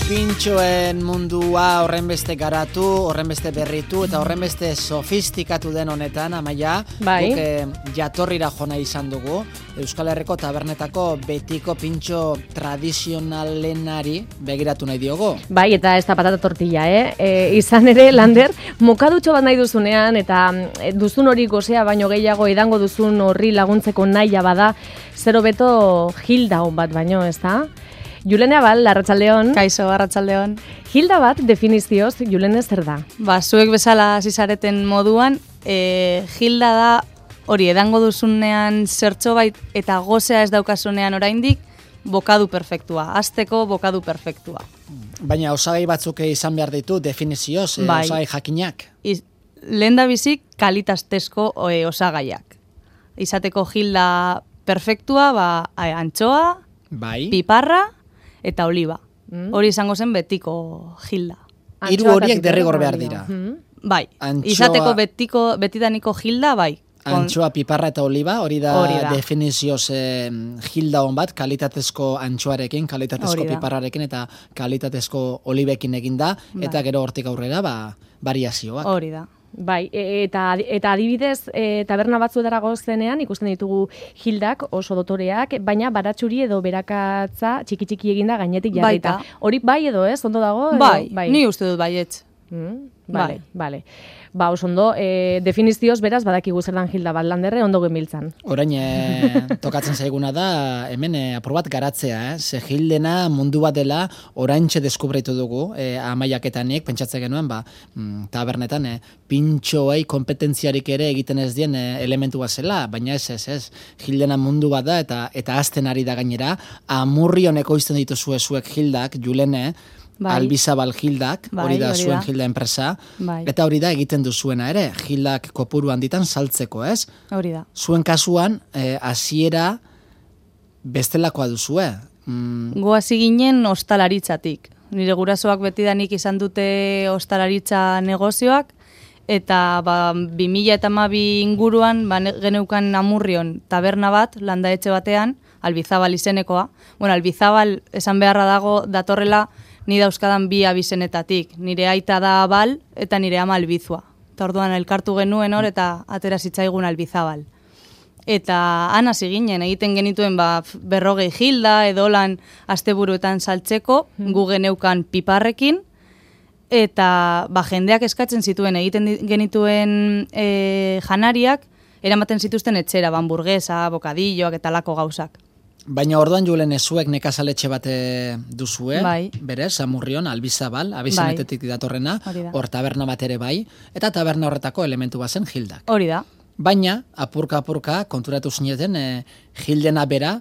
Pintxoen mundua horrenbeste garatu, horrenbeste berritu eta horrenbeste sofistikatu den honetan, Amaia, guk jatorrira jona izan dugu, Euskal Herriko tabernetako betiko pintxo tradizionalenari begiratu nahi diogo. Bai, eta ez da patata tortilla, izan ere, Lander, mokadutxo bat nahi duzunean, eta duzun hori gozea baino gehiago edango duzun horri laguntzeko naia bada, zero beto Hilda hon bat baino, ez da? Julene Abal, arratsaldeon. Kaixo, arratsaldeon. Hilda bat definizioz, Julene zer da? Zuek bezala zizareten moduan, Hilda da hori edango duzunean zertxo bait eta gozea ez daukasunean oraindik bokadu perfektua, hasteko bokadu perfektua. Baina osagai batzuk izan behar ditu definizioz, osagai jakinak. Lehen da bizik kalitaztezko osagaiak. Izateko Hilda perfektua, antxoa, piparra, eta oliba. Hori izango zen betiko Hilda. Hiru horiek derrigor behar dira. Bai, izateko betidaniko Hilda, bai. Antxoa, piparra eta oliba, hori da definizioz Hilda hon bat, kalitatezko antxoarekin, kalitatezko piparrarekin eta kalitatezko olibekin eginda, eta gero hortik aurrera, variazioak. Hori da. Bai, eta adibidez, taberna batzuetara gozenean ikusten ditugu Hildak oso dotoreak, baina baratxuri edo berakatza txiki-txiki eginda gainetik jarrita. Hori bai edo ez, ondo dago? Bai, ni uste dut baietz. Bale. Oso ondo, definizioz beraz badakigu zer dan Hilda bat, Landerre ondo genbiltzan. Orain, tokatzen zaiguna da, hemen apur bat garatzea, ze Hildena mundu bat dela oraintxe deskubritu dugu, Amaiaketanik, pentsatzen genuen, tabernetan, pintxoei kompetentziarik ere egiten ez dien elementua zela, baina ez, Hildena mundu bat da, eta azten ari da gainera, Amurrion ekoizten dituzue zuek Hildak, Julene, Albizabal Hildak, hori da zuen Hilda enpresa, eta hori da egiten duzuena ere, Hildak kopuru handitan saltzeko, ez? Hori da. Zuen kasuan, hasiera bestelakoa duzue. Goazi ginen ostalaritzatik. Nire gurasoak betidanik izan dute ostalaritza negozioak, eta 2012 inguruan geneukan Amurrion taberna bat, landaetxe batean, Albizabal izenekoa. Albizabal esan beharra dago datorrela ni dauzkadan bi abizenetatik. Nire aita da Abal eta nire ama Albizua. Eta orduan elkartu genuen hor eta atera zitzaigun Albizabal. Eta han hasi ginen, egiten genituen 40 Hilda edo lan asteburuetan saltzeko, gu geneukan piparrekin, eta jendeak eskatzen zituen egiten genituen janariak, eramaten zituzten etxera, hamburguesa, bokadilloak eta lako gauzak. Baina orduan Julen zuek nekazaletxe bat duzue, berez, Amurrion, Albizabal, abizenetetik datorrena, hor taberna bat ere bai, eta taberna horretako elementu bazen Hildak. Hori da. Baina, apurka konturatu zineten, Hildena bera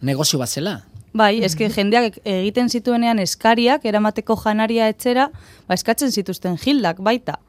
negozio bat zela. Bai, eske jendeak egiten zituenean eskariak, eramateko janaria etxera, eskatzen zituzten Hildak baita.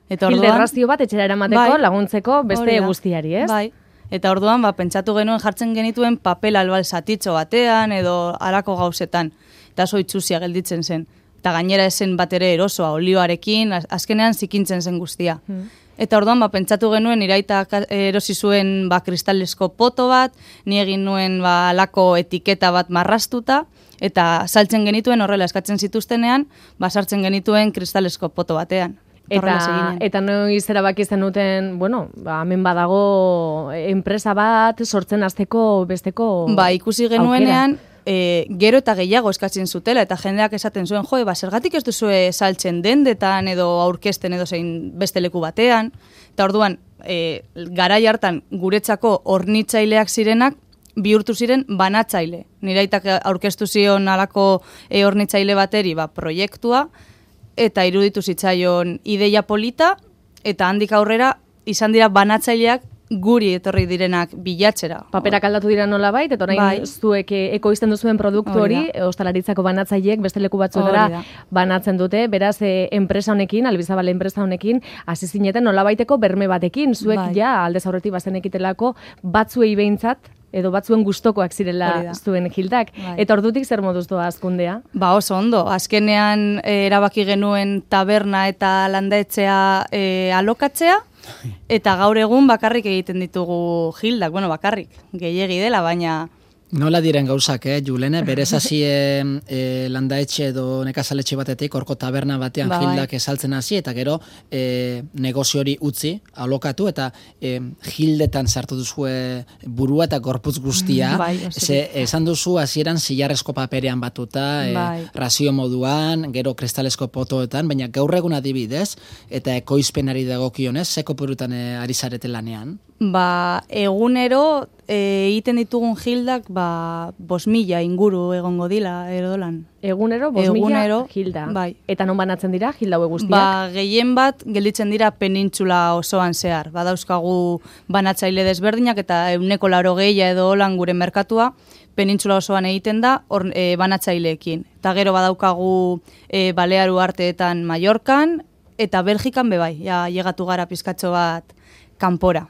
Hilda errazio bat etxera eramateko, laguntzeko beste guztiari, ez? Bai. Eta orduan, pentsatu genuen jartzen genituen papel albal zatitxo batean edo alako gauzetan. Eta oso itxusia gelditzen zen. Eta gainera esen bat ere erosoa, olioarekin, azkenean zikintzen zen guztia. Eta orduan, pentsatu genuen iraita erosi zuen kristalesko poto bat, ni egin nuen alako etiketa bat marrastuta, eta saltzen genituen horrela eskatzen zituztenean, sartzen genituen kristalesko poto batean. Eta noiz erabaki zenuten, hemen badago enpresa bat sortzen hasteko besteko ikusi genuenean, gero eta gehiago eskatzen zutela, eta jendeak esaten zuen, zergatik ez duzue saltzen dendetan edo aurkezten edo zein beste leku batean, eta orduan, garai hartan guretzako hornitzaileak zirenak, bihurtu ziren banatzaile. Niraitak aurkeztu zion alako hornitzaile bateri proiektua, eta iruditu zitzaion ideia polita, eta handik aurrera izan dira banatzaileak guri etorri direnak bilatzera. Paperak aldatu dira nolabait, eta orain zuek ekoizten duzuen produktu hori, ostalaritzako banatzaileek beste leku batzuetara banatzen dute, beraz enpresa honekin, Albizabal enpresa honekin, hasi zineten nolabaiteko berme batekin, zuek aldez aurretik bazenekitelako batzuei behintzat, edo batzuen gustokoak zirela zuen Hildak. Eta ordutik zer moduz doa azkundea? Oso ondo. Azkenean erabaki genuen taberna eta landaetzea alokatzea, eta gaur egun bakarrik egiten ditugu Hildak. Bakarrik, gehiegi dela, baina Nola diren gauzak, Julene, berez hasi landaetxe edo nekazaletxe batetik, horko taberna batean Hildak esaltzen hasi, eta gero negozio hori utzi, alokatu, eta Hildetan sartu duzue burua eta gorputz guztia. Esan duzu hasieran zilarrezko paperean batuta, razio moduan, gero kristalesko potoetan, baina gaur egun adibidez, eta ekoizpenari dagokionez, ze kopurutan ari zarete lanean? Egunero egiten ditugun Hildak 5.000 inguru egongo dila erodolan. Egunero 5.000 Hilda. Bai. Eta non banatzen dira Hilda hauek guztiak? Gehien bat gelditzen dira penintsula osoan zehar. Badauzkagu banatzaile desberdinak eta 180 edo holan gure merkatua penintsula osoan egiten da banatzaileekin. Eta gero badaukagu Balearu arteetan Mallorcan eta Belgikan bebai. Ja llegatu gara pizkatxo bat kanpora.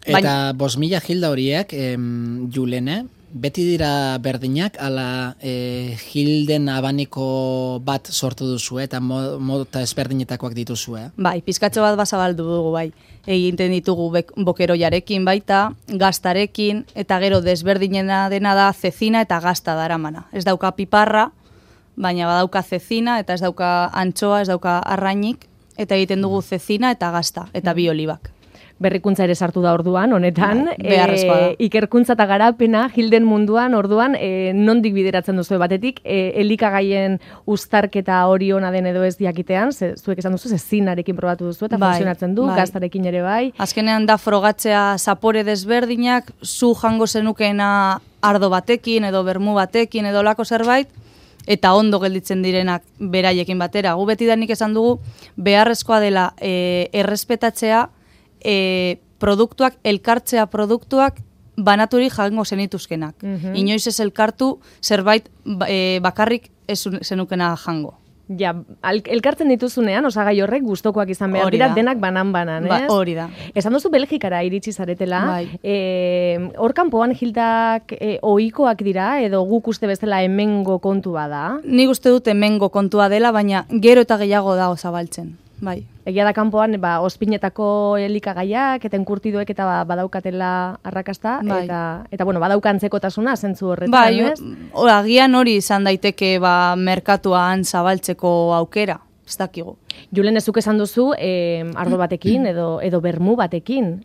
Eta 5.000 Hilda horiek, Julene, beti dira berdinak, ala Hilden abaniko bat sortu duzu, eta mota ezberdinetakoak dituzue. Bai, pizkatxo bat bazabaldu dugu, bai. Egiten ditugu bokeroiarekin baita, gaztarekin, eta gero desberdinena dena da zezina eta gazta daramana. Ez dauka piparra, baina badauka zezina, eta ez dauka antxoa, ez dauka arrainik, eta egiten dugu zezina eta gazta, eta bi olibak. Berrikuntza ere sartu da orduan, honetan. Beharrezkoa da. Ikerkuntza eta garapena Hilden munduan orduan nondik bideratzen duzu batetik, elikagaien uztarketa hori ona den edo ez diakitean, zuek esan duzu, zezinarekin probatu duzu eta funtzionatzen du, gaztarekin ere bai. Azkenean da frogatzea zapore desberdinak, zu jango zenukena ardo batekin edo bermu batekin edo lako zerbait, eta ondo gelditzen direnak beraiekin batera. Gu betidanik esan dugu, beharrezkoa dela errespetatzea produktuak, elkartzea produktuak banaturi jango zenituzkenak. Inoiz ez elkartu zerbait bakarrik ez zenukena jango. Ja, elkartzen dituzunean, osagai horrek gustokoak izan behar dira, denak banan-banan, ez? Hori da. Esan duzu Belgikara iritsi zaretela, hor kanpoan Hildak ohikoak dira, edo guk uste bezala hemengo kontua da? Nik uste dut hemengo kontua dela, baina gero eta gehiago da zabaltzen. Bai. Egia da kanpoan ospinetako elikagaiak eta enkurtiduek eta badaukatela arrakasta eta bueno, badaukantzeko-tasuna zentzu horretan, ez? Bai, agian hori izan daiteke merkatuan zabaltzeko aukera, ez dakigu. Julen, ezuk esan duzu, ardo batekin edo bermu batekin.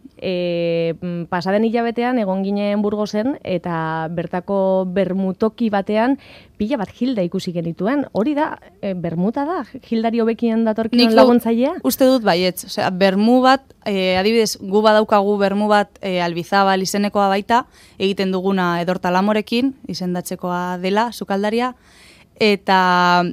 Pasaden hilabetean egon ginen Burgosen eta bertako bermutoki batean pila bat Hilda ikusi genituen. Hori da, bermuta da? Hildari hobekien datorkion laguntzailea? Uste dut baietz. Osea, bermu bat, adibidez, gu badaukagu bermu bat Albizabal izenekoa baita, egiten duguna Edortalamorekin, izendatzekoa dela, sukaldaria, eta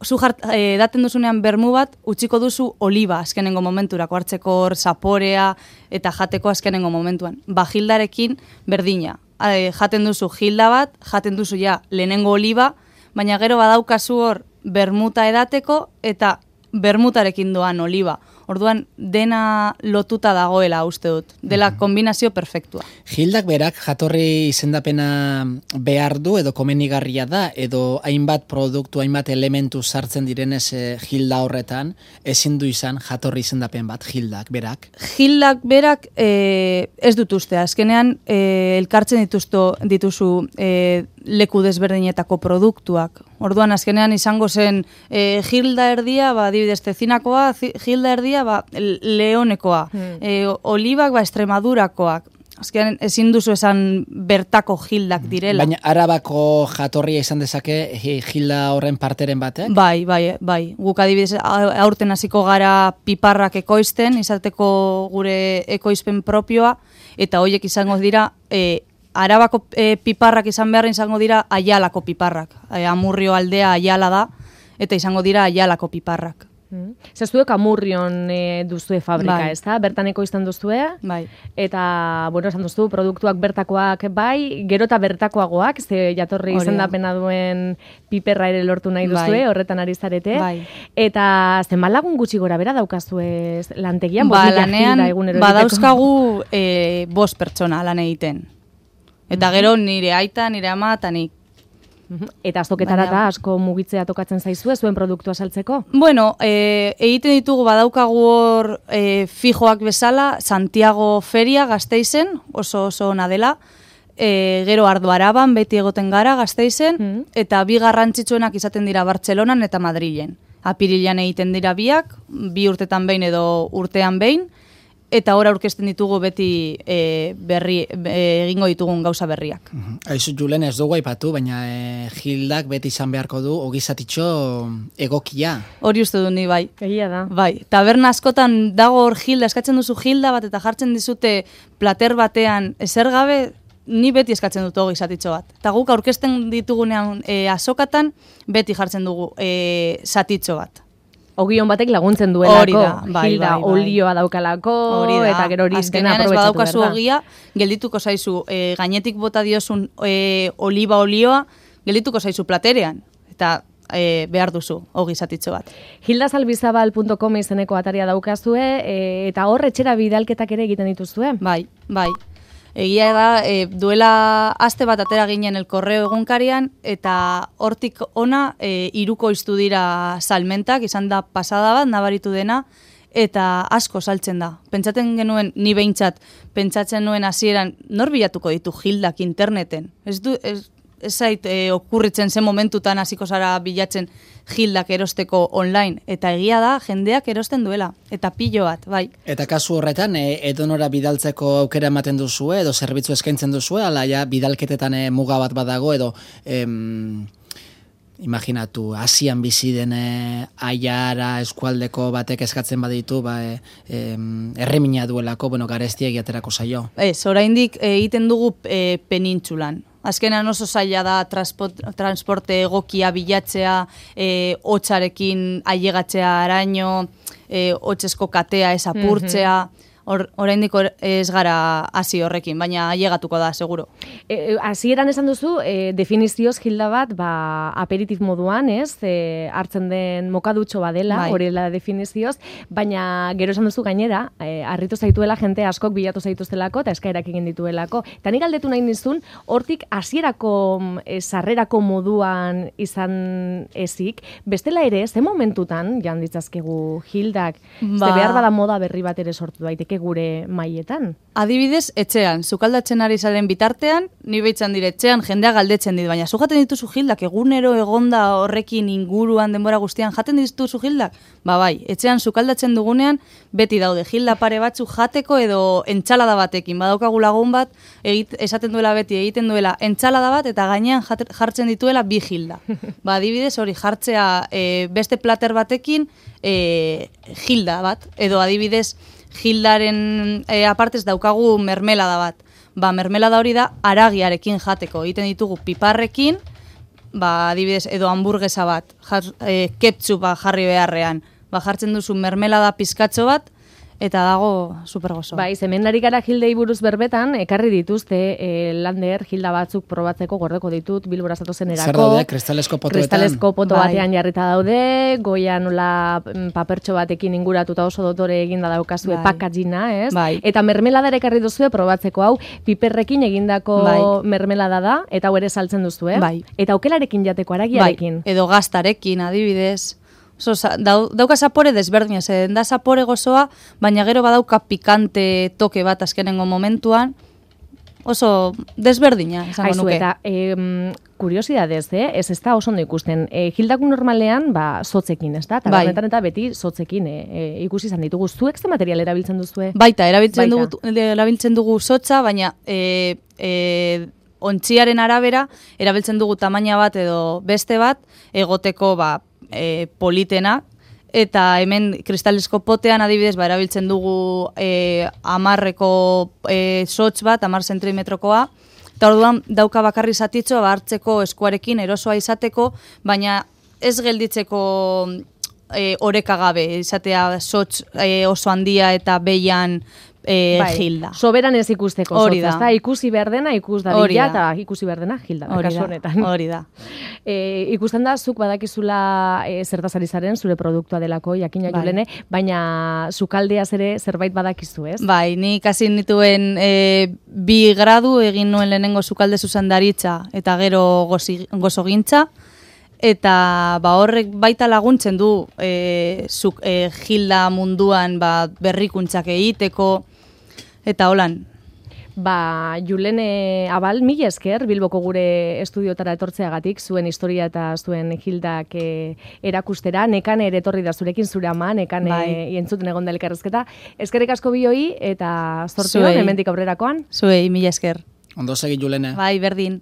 zu daten duzunean bermu bat, utziko duzu oliba azkenengo momenturako, hartzeko hor zaporea eta jateko azkenengo momentuan. Hildarekin berdina. Jaten duzu Hilda bat, jaten duzu lehenengo oliba, baina gero badaukazu hor bermuta edateko eta bermutarekin doan oliba. Orduan, dena lotuta dagoela uste dut. Dela kombinazio perfektua. Hildak berak jatorri izendapena behar du edo komenigarria da, edo hainbat produktu, hainbat elementu sartzen direnez Hilda horretan, ezin du izan jatorri izendapen bat, Hildak berak? Hildak berak ez dut uste. Azkenean, elkartzen dituzu leku desberdinetako produktuak. Orduan, azkenean izango zen Hilda erdia, adibidez Zezinakoa, Hilda erdia, Leonekoa, olibak, Extremadurakoak. Azkenean, ezin duzu esan bertako Hildak direla. Baina Arabako jatorria izan dezake Hilda horren parteren batek? Bai. Guk adibidez aurten hasiko gara piparrak ekoizten, izateko gure ekoizpen propioa, eta horiek izango dira Arabako piparrak izan behar izango dira Aialako piparrak. Amurrio aldea Aiala da, eta izango dira Aialako piparrak. Zaztuek Amurrion duzue fabrika, ez da? Bertan ekoizten duzue? Bai. Eta, bueno, esan duzu, produktuak bertakoak bai, gero eta bertakoagoak, ze jatorri izendapena duen piperra ere lortu nahi duzue, horretan ari zarete. Bai. Eta zenbat lagun gutxi gora bera daukazue lantegian? Lanean, badauzkagu 5 pertsona lan egiten. Eta gero nire aita, nire ama, eta nik. Eta azoketara da asko mugitzea tokatzen zaizue, zuen produktua saltzeko? Bueno, egiten ditugu badaukagu hor fijoak bezala, Santiago Feria Gasteizen, oso ona dela, gero Ardo Araban beti egoten gara Gasteizen, eta bi garrantzitsuenak izaten dira Bartzelonan eta Madrilen. Apirilean egiten dira biak, 2 urtetan behin edo urtean behin, eta hor aurkezten ditugu beti egingo ditugun gauza berriak. Aizu, Julen, ez dugu aipatu, baina Hildak beti izan beharko du ogizatitxo egokia. Hori uste du ni, bai. Egia da. Bai, taberna askotan dago hor Hilda, eskatzen duzu Hilda bat, eta jartzen dizute plater batean ezer gabe, ni beti eskatzen dut ogizatitxo bat. Eta guk aurkezten ditugunean azokatan, beti jartzen dugu zatitxo bat. Ogion batek laguntzen duelako, hori da, bai, Hilda olioa daukalako, eta gero hori dena aprobetsatu behar da. Azkenean ez badaukazu ogia, geldituko zaizu, gainetik bota diozun oliba olioa, geldituko zaizu platerean, eta behar duzu, ogi zatitxo bat. hildazalbizabal.com izeneko ataria daukazue, eta hor etxera bidalketak ere egiten dituzue? Bai, bai. Egia da, duela aste bat atera ginen El Correo egunkarian, eta hortik ona irukoiztu dira salmentak, izan da pasada bat, nabaritu dena, eta asko saltzen da. Pentsatzen genuen, ni behintzat, pentsatzen nuen hasieran nor bilatuko ditu Hildak interneten. Ez zait okurritzen zen momentutan hasiko zara bilatzen Hildak erosteko online. Eta egia da, jendeak erosten duela. Eta pilo bat, bai. Eta kasu horretan, edonora bidaltzeko aukera ematen duzue, edo zerbitzu eskaintzen duzue, ala ja bidalketetan muga bat badago, edo imaginatu, Asian bizi den aiara eskualdeko batek eskatzen baditu, erremina duelako, garestia egiaterako zaio. Ez, oraindik egiten dugu penintsulan. Azkenan oso zaila da transporte egokia bilatzea, hotzarekin ailegatzea araño, hotzezko katea ez apurtzea, oraindik ez gara hasi horrekin, baina ailegatuko da, seguro. Hasieran esan duzu, definizioz Hilda bat, aperitif moduan, ez? Hartzen den mokadutxo badela, horrela definizioz, baina gero esan duzu gainera, harritu zaituela jente askok bilatu zaituztelako, eta eskaerak egin dituelako. Eta nik galdetu nahi nizun, hortik hasierako sarrerako moduan izan ezik, bestela ere, ze momentutan, jan ditzazkegu Hildak, ze behar bada moda berri bat ere sortu daiteke gure maietan. Adibidez, etxean, sukaldatzen ari zaren bitartean, ni behitzan dire etxean, jendea galdetzen dit, baina zu jaten dituzu Hildak, egunero egonda horrekin inguruan denbora guztian, jaten dituzu Hildak? Bai, etxean sukaldatzen dugunean, beti daude Hilda pare batzu jateko edo entsalada batekin, badaukagu lagun bat, esaten duela beti, egiten duela entsalada bat, eta gainean jartzen dituela 2 Hilda. Adibidez, hori jartzea beste plater batekin Hilda bat, edo adibidez, Hildaren apartez daukagu mermelada bat. Mermelada hori da aragiarekin jateko. Egiten ditugu piparrekin, adibidez, edo hamburguesa bat, ketchup jarri beharrean. Jartzen duzu mermelada pizkatxo bat, eta dago supergozo. Hemen ari gara Hildei buruz berbetan, ekarri dituzte lander Hilda batzuk probatzeko gordeko ditut Bilbora zatozenerako. Zer daude, kristalesko potoetan? Kristalesko poto batean jarrita daude, goian nola papertxo batekin inguratuta oso dotore eginda daukazue packagina, ez? Eta mermelada ere ekarri duzue probatzeko, hau piperrekin egindako mermelada da, eta hau ere saltzen duzu, Eta aukelarekin jateko, aragiarekin. Edo gaztarekin, adibidez. Dauka zapore desberdina, da zapore gozoa, baina gero badauka pikante toke bat azkenengo momentuan, oso desberdina, esango nuke. Eta kuriosidadez, ez da oso ondo ikusten. Hildak normalean, sotzekin, ez da? Eta eta beti sotzekin ikusi izan ditugu. Zuek ze material erabiltzen duzue? Baita, erabiltzen dugu sotza, baina ontziaren arabera, erabiltzen dugu tamaina bat edo beste bat, egoteko politena, eta hemen kristalesko potean adibidez erabiltzen dugu 10-eko sotz bat, 10 zentimetrokoa, eta orduan dauka bakarri zatitxo hartzeko eskuarekin erosoa izateko, baina ez gelditzeko oreka gabe, izatea sotz oso handia eta behian Hilda. Soberan ez ikusteko sotza, ezta? Ikusi behar dena, ikus dadila, eta ikusi behar dena Hilda. Hori da. Ikusten da, zuk badakizula zertaz ari zaren, zure produktua delako, jakina Julene, baina sukaldeaz ere zerbait badakizu, ez? Ni ikasi nituen 2 gradu egin nuen lehenengo sukalde zuzendaritza, eta gero gozogintza, eta horrek baita laguntzen du Hilda munduan berrikuntzak egiteko, eta holan. Julene Abal, mila esker, Bilboko gure estudiotara etortzeagatik, zuen historia eta zuen Hildak erakustera, Nekane ere etorri da zurekin, zure ama, Nekane entzuten egon da elkarrezketa. Eskerrik asko bioi eta zortzion, hemendik aurrerakoan. Zuei, mila esker. Ondo segi, Julene. Bai, berdin.